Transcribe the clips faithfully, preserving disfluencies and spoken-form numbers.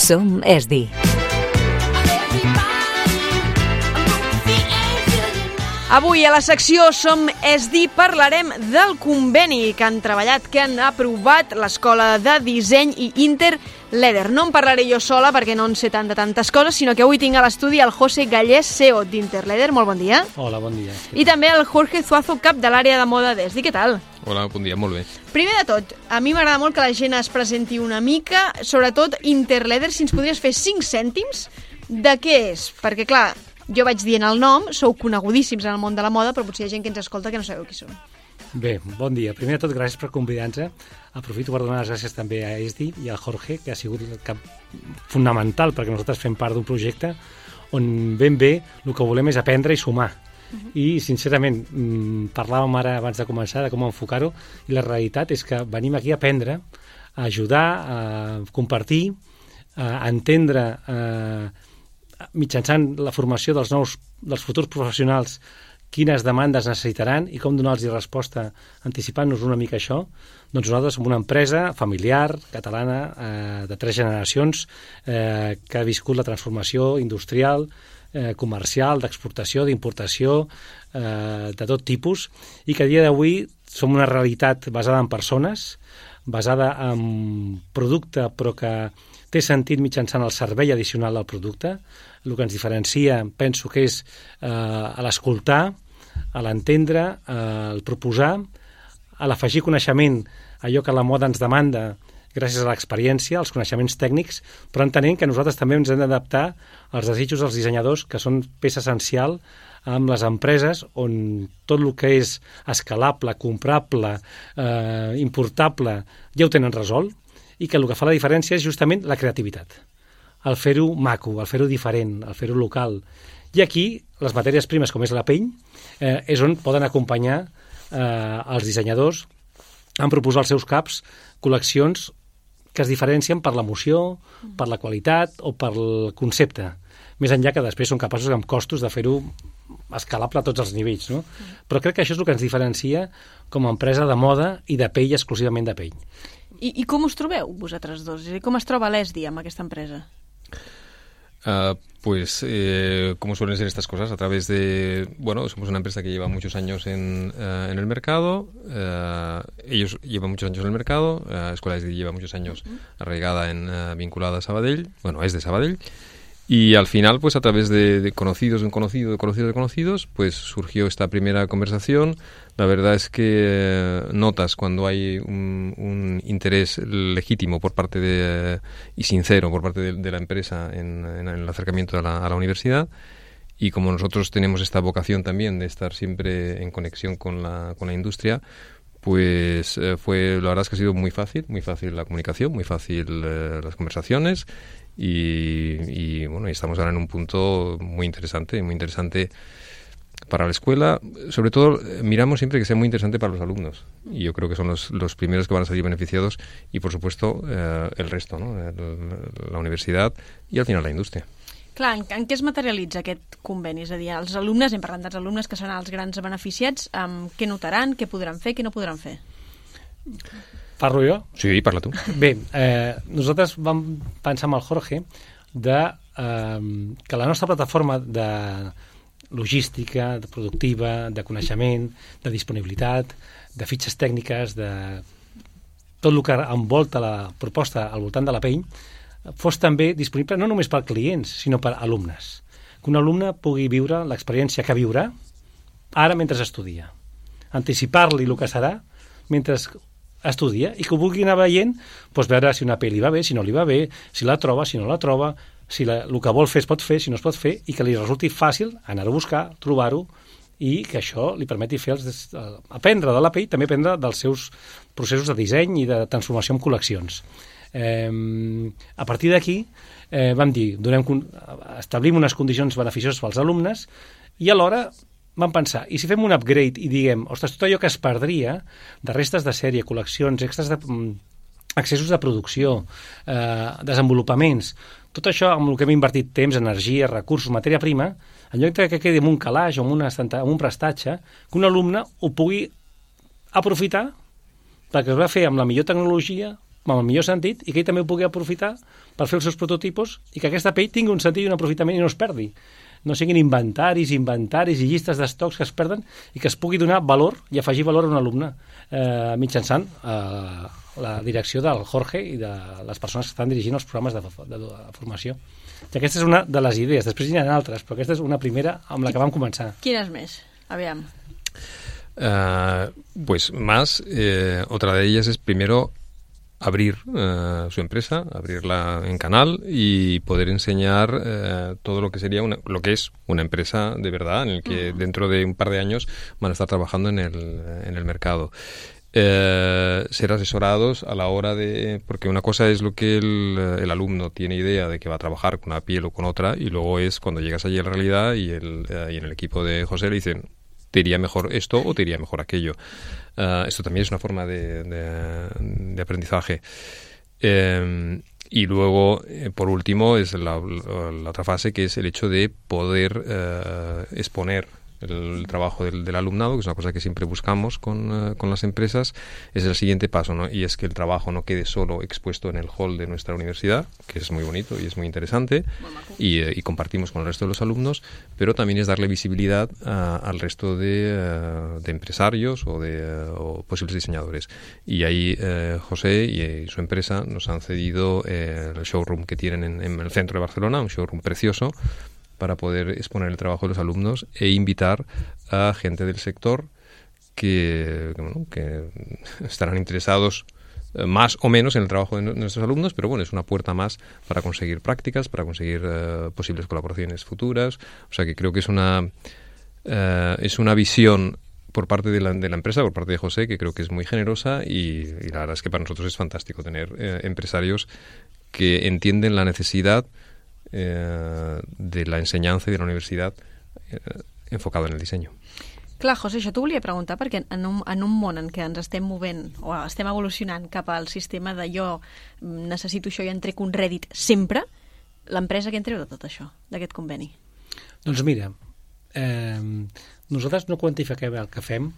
Som E S D I. Avui a la secció Som E S D I parlarem del conveni que han treballat, que han aprovat l'Escola de Disseny i Interleder. No en parlaré jo sola perquè no en sé tant de tantes coses, sinó que avui tinc a l'estudi el José Gallés, C E O d'Interleder. Molt bon dia. Hola, bon dia. I també el Jorge Zuazo, cap de l'àrea de moda d'E S D I. Què tal? Hola, bon dia, molt bé. Primer de tot, a mi m'agrada molt que la gent es presenti una mica, sobretot Interleder, si ens podries fer cinc cèntims de què és, perquè clar, jo vaig dient el nom, sou conegudíssims en el món de la moda, però potser hi ha gent que ens escolta que no sabeu qui són. Bé, bon dia. Primer de tot, gràcies per convidar-nos. Aprofito per donar les gràcies també a E S D I i al Jorge, que ha sigut el cap fonamental perquè nosaltres fem part d'un projecte on ben bé el que volem és aprendre i sumar. Uh-huh. I, sincerament, parlàvem ara abans de començar de com enfocar-ho, i la realitat és que venim aquí a aprendre, a ajudar, a compartir, a entendre... A mitjançant la formació dels nous, dels futurs professionals, quines demandes necessitaran i com donar-los resposta anticipant-nos una mica això. Doncs nosaltres som una empresa familiar, catalana, eh, de tres generacions, eh, que ha viscut la transformació industrial, eh, comercial, d'exportació, d'importació, eh, de tot tipus, i que a dia d'avui som una realitat basada en persones, basada en producte, però que té sentit mitjançant el servei addicional del producte. El que ens diferencia, penso que és eh, a l'escoltar, a l'entendre, a el proposar, a l'afegir coneixement, allò que la moda ens demanda gràcies a l'experiència, als coneixements tècnics, però entenent que nosaltres també ens hem d'adaptar als desitjos dels dissenyadors, que són peça essencial amb les empreses on tot el que és escalable, comprable, eh, importable, ja ho tenen resolt, i que el que fa la diferència és justament la creativitat. El fer-ho maco, el fer-ho diferent, el fer-ho local. I aquí, les matèries primes, com és la pell, eh, és on poden acompanyar eh, els dissenyadors en proposar als seus caps col·leccions que es diferencien per l'emoció, per la qualitat o per el concepte. Més enllà que després són capaços amb costos de fer-ho escalable a tots els nivells, no? Però crec que això és el que ens diferencia com a empresa de moda i de pell, exclusivament de pell. I, i com us trobeu, vosaltres dos? És a dir, com es troba l'E S D I amb aquesta empresa? Uh, pues, eh, como suelen ser estas cosas, a través de... Bueno, somos una empresa que lleva muchos años en, uh, en el mercado, uh, ellos llevan muchos años en el mercado, la uh, Escuela E S D I lleva muchos años uh-huh. arraigada, en, uh, vinculada a Sabadell, bueno, es de Sabadell, y al final, pues a través de, de conocidos, de un conocido, de conocidos, de conocidos, pues surgió esta primera conversación. La verdad es que eh, notas cuando hay un, un interés legítimo por parte de, eh, y sincero por parte de, de la empresa en, en el acercamiento a la, a la universidad. Y como nosotros tenemos esta vocación también de estar siempre en conexión con la, con la industria, pues eh, fue, la verdad es que ha sido muy fácil, muy fácil la comunicación, muy fácil eh, las conversaciones. Y, y bueno, y estamos ahora en un punto muy interesante, muy interesante para la escuela. Sobre todo, miramos siempre que sea muy interesante para los alumnos. Y yo creo que son los, los primeros que van a salir beneficiados y, por supuesto, eh, el resto, ¿no? El, la universidad y, al final, la indústria. Clar, en, en què es materialitza aquest conveni? És a dir, els alumnes, hem parlat dels alumnes que seran els grans beneficiats, um, què notaran, què podran fer, què no podran fer? Parlo jo? Sí, parla tu. Bé, eh, nosaltres vam pensar amb el Jorge de, eh, que la nostra plataforma de logística, de productiva, de coneixement, de disponibilitat, de fitxes tècniques, de tot el que envolta la proposta al voltant de la pell, fos també disponible no només per clients, sinó per alumnes. Que un alumne pugui viure l'experiència que viurà ara mentre estudia. Anticipar-li el que serà mentre estudia i que ho vulgui anar veient, doncs veure si una pel·li li va bé, si no li va bé, si la troba, si no la troba, si la, el que vol fer es pot fer, si no es pot fer, i que li resulti fàcil anar-ho a buscar, trobar-ho, i que això li permeti fer els, aprendre de la pell, també aprendre dels seus processos de disseny i de transformació en col·leccions. Eh, a partir d'aquí eh, vam dir, donem, establim unes condicions beneficioses pels alumnes i alhora vam pensar, i si fem un upgrade i diguem, ostres, tot allò que es perdria de restes de sèrie, col·leccions, extras de, accessos de producció, eh, desenvolupaments, tot això amb el que hem invertit temps, energia, recursos, matèria prima, en lloc que quedi en un calaix o en, una, en un prestatge, que un alumne ho pugui aprofitar perquè es va fer amb la millor tecnologia, amb el millor sentit, i que ell també ho pugui aprofitar per fer els seus prototipos i que aquesta pell tingui un sentit i un aprofitament i no es perdi. No siguin inventaris, inventaris i llistes d'estocs que es perden i que es pugui donar valor i afegir valor a un alumne eh, mitjançant eh, la direcció del Jorge i de les persones que estan dirigint els programes de, de, de formació. I aquesta és una de les idees. Després hi ha altres, però aquesta és una primera amb la que vam començar. Quines més? Aviam. Uh, pues más, eh, otra de ellas es primero abrir uh, su empresa, abrirla en canal y poder enseñar uh, todo lo que sería una, lo que es una empresa de verdad, en el que uh-huh. dentro de un par de años van a estar trabajando en el, en el mercado. Eh, ser asesorados a la hora de... Porque una cosa es lo que el, el alumno tiene idea de que va a trabajar con una piel o con otra, y luego es cuando llegas allí a la realidad y, el, eh, y en el equipo de José le dicen, te iría mejor esto o te iría mejor aquello. Uh, esto también es una forma de, de, de aprendizaje. Eh, y luego, eh, por último, es la, la, la otra fase, que es el hecho de poder eh, exponer el trabajo del, del alumnado, que es una cosa que siempre buscamos con, uh, con las empresas. Es el siguiente paso, ¿no? Y es que el trabajo no quede solo expuesto en el hall de nuestra universidad, que es muy bonito y es muy interesante, y, uh, y compartimos con el resto de los alumnos, pero también es darle visibilidad uh, al resto de, uh, de empresarios o de uh, o posibles diseñadores. Y ahí uh, José y, y su empresa nos han cedido uh, el showroom que tienen en, en el centro de Barcelona, un showroom precioso, para poder exponer el trabajo de los alumnos e invitar a gente del sector que, bueno, que estarán interesados más o menos en el trabajo de nuestros alumnos, pero bueno, es una puerta más para conseguir prácticas, para conseguir uh, posibles colaboraciones futuras. O sea que creo que es una, uh, es una visión por parte de la, de la empresa, por parte de José, que creo que es muy generosa, y, y la verdad es que para nosotros es fantástico tener uh, empresarios que entienden la necesidad Eh, de la ensenyança i de la universitat eh, enfocada en el disseny. Clar, José, això t'ho volia preguntar, perquè en un, en un món en què ens estem movent o estem evolucionant cap al sistema de jo necessito això i en trec un rèdit sempre, l'empresa què en treu de tot això, d'aquest conveni? Doncs mira, eh, nosaltres no quantifiquem el que fem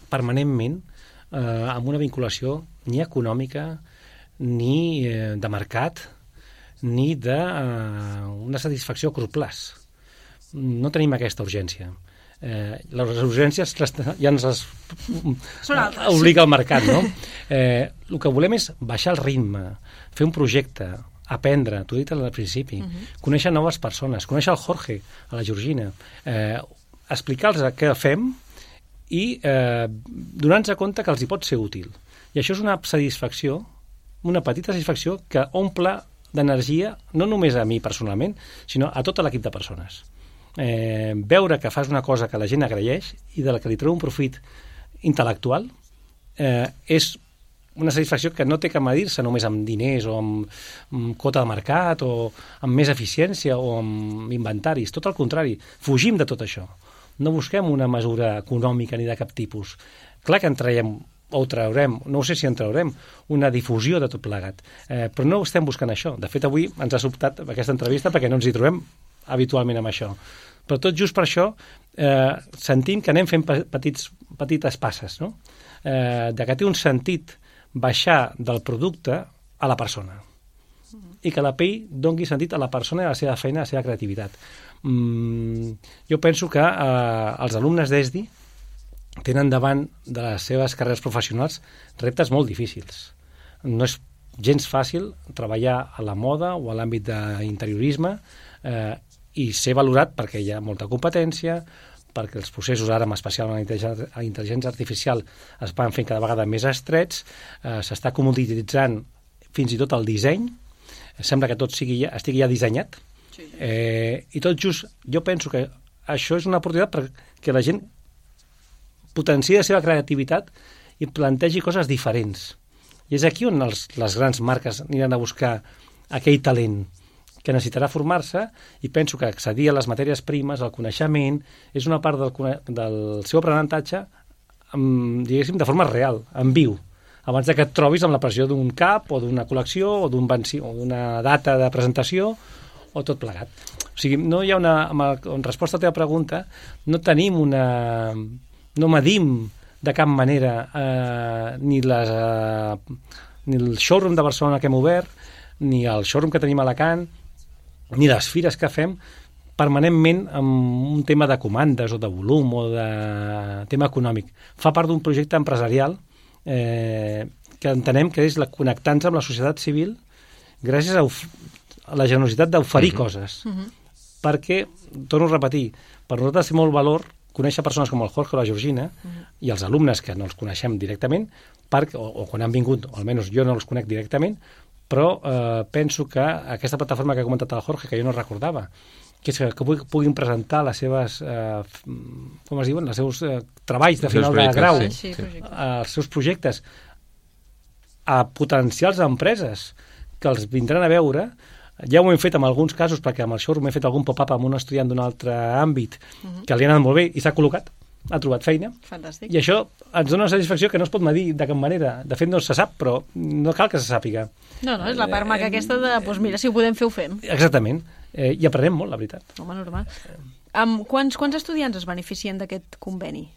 permanentment eh, amb una vinculació ni econòmica ni eh, de mercat ni d'una uh, satisfacció a curt plaç. No tenim aquesta urgència. Eh, les urgències ja ens les obliga el mercat, no? Eh, el que volem és baixar el ritme, fer un projecte, aprendre, t'ho he dit al principi, uh-huh. conèixer noves persones, conèixer el Jorge, a la Georgina, eh, explicar-los què fem i eh, donar-nos compte que els hi pot ser útil. I això és una satisfacció, una petita satisfacció que omple d'energia, no només a mi personalment, sinó a tot l'equip de persones. Eh, veure que fas una cosa que la gent agraeix i de la que li treu un profit intel·lectual eh, és una satisfacció que no té que medir-se només amb diners o amb, amb quota de mercat o amb més eficiència o amb inventaris. Tot el contrari, fugim de tot això. No busquem una mesura econòmica ni de cap tipus. Clar que en traiem o traurem, no sé si en traurem, una difusió de tot plegat. Eh, però no estem buscant això. De fet, avui ens ha sobtat aquesta entrevista perquè no ens hi trobem habitualment amb això. Però tot just per això eh, sentim que anem fent petits, petites passes, no? Eh, de que té un sentit baixar del producte a la persona i que la pell doni sentit a la persona i a la seva feina, a la seva creativitat. Mm, jo penso que eh, els alumnes d'E S D I tenen davant de les seves carreres professionals reptes molt difícils. No és gens fàcil treballar a la moda o a l'àmbit d'interiorisme eh, i ser valorat perquè hi ha molta competència, perquè els processos ara, especialment la intel·ligència artificial, es van fent cada vegada més estrets, eh, s'està comodititzant fins i tot el disseny, sembla que tot sigui ja, estigui ja dissenyat, eh, i tot just jo penso que això és una oportunitat perquè la gent potenciï la seva creativitat i plantegi coses diferents. I és aquí on els, les grans marques aniran a buscar aquell talent que necessitarà formar-se, i penso que accedir a les matèries primes, al coneixement, és una part del, del seu aprenentatge, amb, diguéssim, de forma real, en viu, abans de que et trobis amb la pressió d'un cap o d'una col·lecció o d'una data de presentació o tot plegat. O sigui, no hi ha una... En resposta a la teva pregunta, no tenim una... no medim de cap manera eh, ni, les, eh, ni el showroom de Barcelona que hem obert, ni el showroom que tenim a Alacant, ni les fires que fem, permanentment amb un tema de comandes o de volum o de tema econòmic. Fa part d'un projecte empresarial eh, que entenem que és la connectar-nos amb la societat civil gràcies a, a la generositat d'oferir uh-huh. coses. Uh-huh. Perquè, torno a repetir, per nosaltres té molt valor conèixer persones com el Jorge o la Georgina uh-huh. i els alumnes que no els coneixem directament, per, o, o quan han vingut, o almenys jo no els conec directament, però eh, penso que aquesta plataforma que ha comentat el Jorge, que jo no recordava, que és que, que puguin presentar les seves, eh, com es diuen, els seus eh, treballs de final de grau, sí, sí. els seus projectes, a potencials empreses que els vindran a veure. Ja ho hem fet en alguns casos, perquè amb el showroom hem fet algun pop-up amb un estudiant d'un altre àmbit uh-huh. que li ha anat molt bé i s'ha col·locat, ha trobat feina. Fantàstic. I això ens dona una satisfacció que no es pot medir de cap manera. De fet, no se sap, però no cal que se sàpiga. No, no, és la part maca aquesta de, doncs mira, si ho podem fer, ho fem. Exactament. Eh, I aprenem molt, la veritat. Home, normal. Um, quants, quants estudiants es beneficien d'aquest conveni?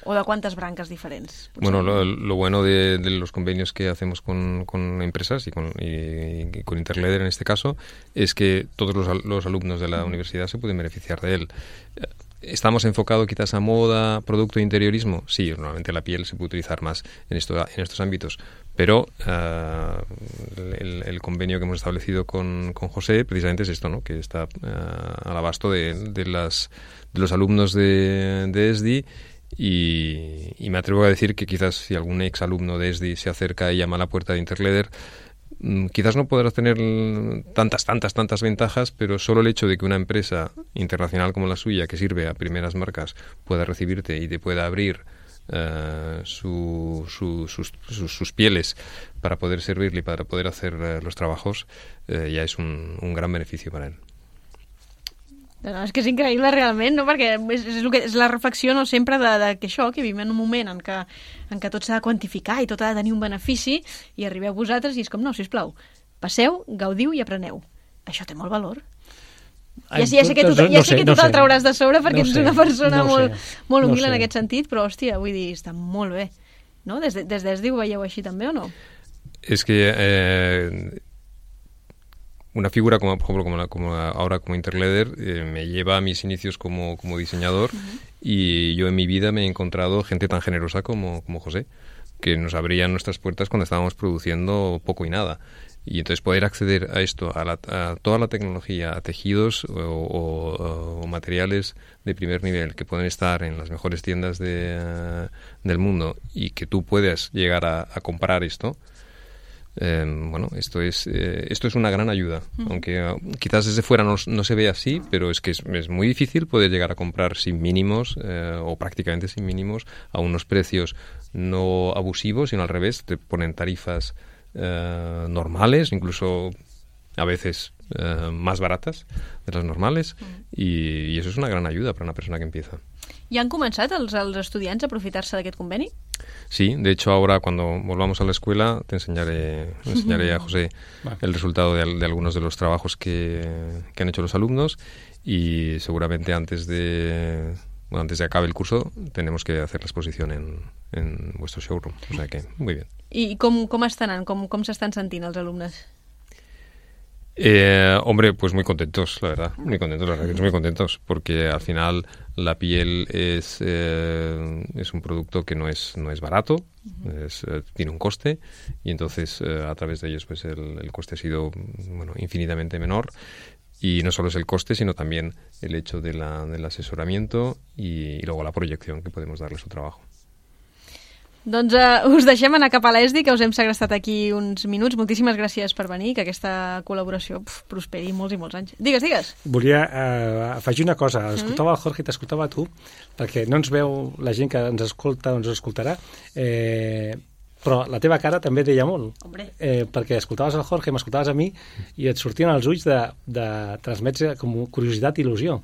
¿O de cuántas brancas diferentes? Bueno, lo, lo bueno de, de los convenios que hacemos con, con empresas y con, y, y con Interleder en este caso es que todos los, los alumnos de la universidad se pueden beneficiar de él. ¿Estamos enfocados quizás a moda, producto e interiorismo? Sí, normalmente la piel se puede utilizar más en, esto, en estos ámbitos, pero uh, el, el convenio que hemos establecido con, con José precisamente es esto, ¿no? Que está uh, al abasto de, de, las, de los alumnos de, de E S D I. Y, y me atrevo a decir que quizás si algún ex alumno de E S D I se acerca y llama a la puerta de Interleder, quizás no podrás tener tantas, tantas, tantas ventajas, pero solo el hecho de que una empresa internacional como la suya, que sirve a primeras marcas, pueda recibirte y te pueda abrir uh, su, su, sus, sus, sus pieles para poder servirle y para poder hacer uh, los trabajos, uh, ya es un, un gran beneficio para él. No, és que és increïble realment, no? Perquè és, és, el que, és la reflexió no sempre de, de que això, que vivim en un moment en què, en què tot s'ha de quantificar i tot ha de tenir un benefici, i arribeu vosaltres i és com, no, sisplau, passeu, gaudiu i apreneu. Això té molt valor. Ai, ja, ja sé que tu, ja no sé, sé que tu no te'l trauràs de sobre perquè no ets una persona no molt, molt humil no en aquest sentit, però hòstia, vull dir, està molt bé. No? Des de, des d'E S D I ho veieu així també o no? És que eh, una figura como, por ejemplo, como, la, como ahora como Interleder eh, me lleva a mis inicios como, como diseñador uh-huh. y yo en mi vida me he encontrado gente tan generosa como, como José, que nos abrían nuestras puertas cuando estábamos produciendo poco y nada. Y entonces poder acceder a esto, a, la, a toda la tecnología, a tejidos o, o, o materiales de primer nivel que pueden estar en las mejores tiendas de, uh, del mundo y que tú puedas llegar a, a comprar esto, Eh, bueno, esto es eh, esto es una gran ayuda, uh-huh. aunque uh, quizás desde fuera no, no se ve así, pero es que es, es muy difícil poder llegar a comprar sin mínimos eh, o prácticamente sin mínimos a unos precios no abusivos, sino al revés, te ponen tarifas eh, normales, incluso a veces eh, más baratas de las normales, uh-huh. y, y eso es una gran ayuda para una persona que empieza. ¿Y han comenzado els, els estudiants a aprofitar-se d'aquest conveni? Sí, de hecho ahora cuando volvamos a la escuela te enseñaré, enseñaré a José el resultado de, de algunos de los trabajos que, que han hecho los alumnos y seguramente antes de, bueno, antes de acabe el curso tenemos que hacer la exposición en, en vuestro showroom, o sea que muy bien. I com, com estan anant? Com, com s'estan sentint els alumnes? Eh, hombre, pues muy contentos, la verdad, muy contentos, la verdad, que muy contentos, porque al final la piel es eh, es un producto que no es no es barato, uh-huh. es, eh, tiene un coste y entonces eh, a través de ellos pues el, el coste ha sido bueno infinitamente menor y no solo es el coste sino también el hecho de la, del asesoramiento y, y luego la proyección que podemos darle a su trabajo. Doncs uh, us deixem anar cap a l'E S D I, que us hem segrestat aquí uns minuts. Moltíssimes gràcies per venir, que aquesta col·laboració pf, prosperi molts i molts anys. Digues, digues. Volia uh, afegir una cosa. Escoltava el Jorge i t'escoltava a tu, perquè no ens veu la gent que ens escolta o ens escoltarà, eh, però la teva cara també deia molt. Eh, perquè escoltaves el Jorge, m'escoltaves a mi, i et sortien els ulls de, de transmetre com curiositat i il·lusió.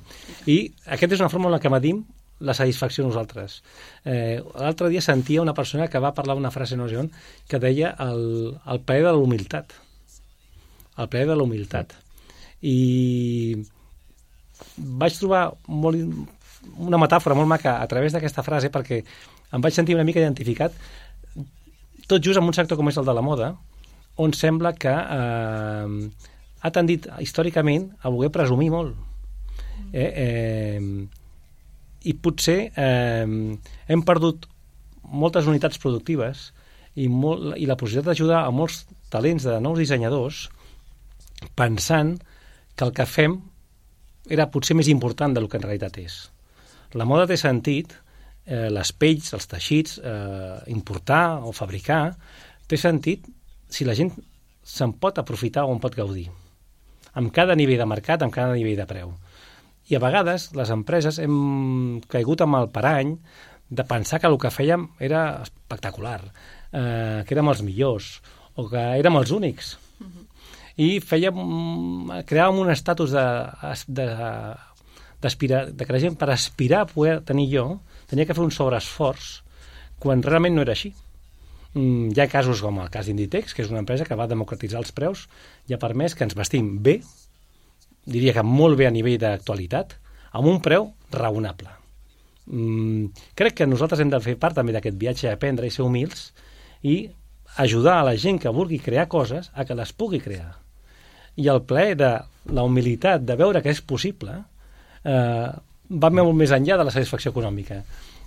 I aquesta és una forma en la que medim la satisfacció nosaltres. Eh, l'altre dia sentia una persona que va parlar una frase no sé on, que deia el, el plaer de la humilitat. El plaer de la humilitat. I vaig trobar molt, una metàfora molt maca a través d'aquesta frase perquè em vaig sentir una mica identificat tot just en un sector com és el de la moda, on sembla que eh, ha tendit històricament a voler presumir molt. Eh, eh, I potser eh, hem perdut moltes unitats productives i, molt, i la possibilitat d'ajudar a molts talents de nous dissenyadors pensant que el que fem era potser més important del que en realitat és. La moda té sentit, eh, les pells, els teixits, eh, importar o fabricar, té sentit si la gent se'n pot aprofitar o en pot gaudir, amb cada nivell de mercat, amb cada nivell de preu. I a vegades les empreses hem caigut amb el parany de pensar que el que fèiem era espectacular, eh, que érem els millors o que érem els únics. Uh-huh. I fèiem, creàvem un estatus de, de, d'aspirar, de que la gent per aspirar a poder tenir jo tenia que fer un sobreesforç quan realment no era així. Mm, hi ha casos com el cas d'Inditex, que és una empresa que va democratitzar els preus i ha permès que ens vestim bé, diria que molt bé a nivell d'actualitat, amb un preu raonable. Mm, crec que nosaltres hem de fer part també d'aquest viatge a aprendre i ser humils i ajudar a la gent que vulgui crear coses a que les pugui crear. I el plaer de la humilitat de veure que és possible eh, va molt més enllà de la satisfacció econòmica.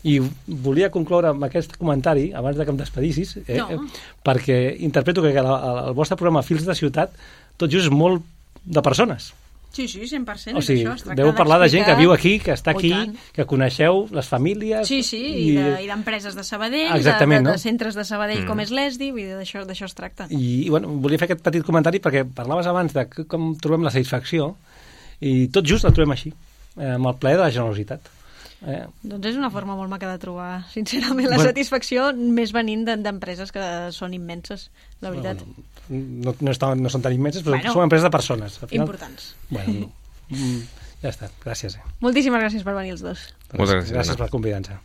I volia concloure amb aquest comentari, abans de que em despedissis, eh, no. perquè interpreto que el, el vostre programa Fils de Ciutat tot just és molt de persones. Sí, sí, cent per cent. O sigui, és això, deu parlar de gent que viu aquí, que està aquí, que coneixeu les famílies... Sí, sí, i, i, de, i d'empreses de Sabadell, de, de, de no? centres de Sabadell mm. com és l'E S D I, vull dir, d'això, d'això es tracta. I, i bueno, volia fer aquest petit comentari perquè parlaves abans de com trobem la satisfacció i tot just la trobem així, eh, amb el plaer de la generositat. Eh. Doncs és una forma molt maca de trobar, sincerament, la bueno, satisfacció més venint d'empreses que són immenses, la veritat. Bueno, no, no, estan, no són tan immenses, però bueno, són empreses de persones. Al final, importants. Bueno, ja està, gràcies. Eh. Moltíssimes gràcies per venir els dos. Moltes gràcies. Gràcies per convidar-nos.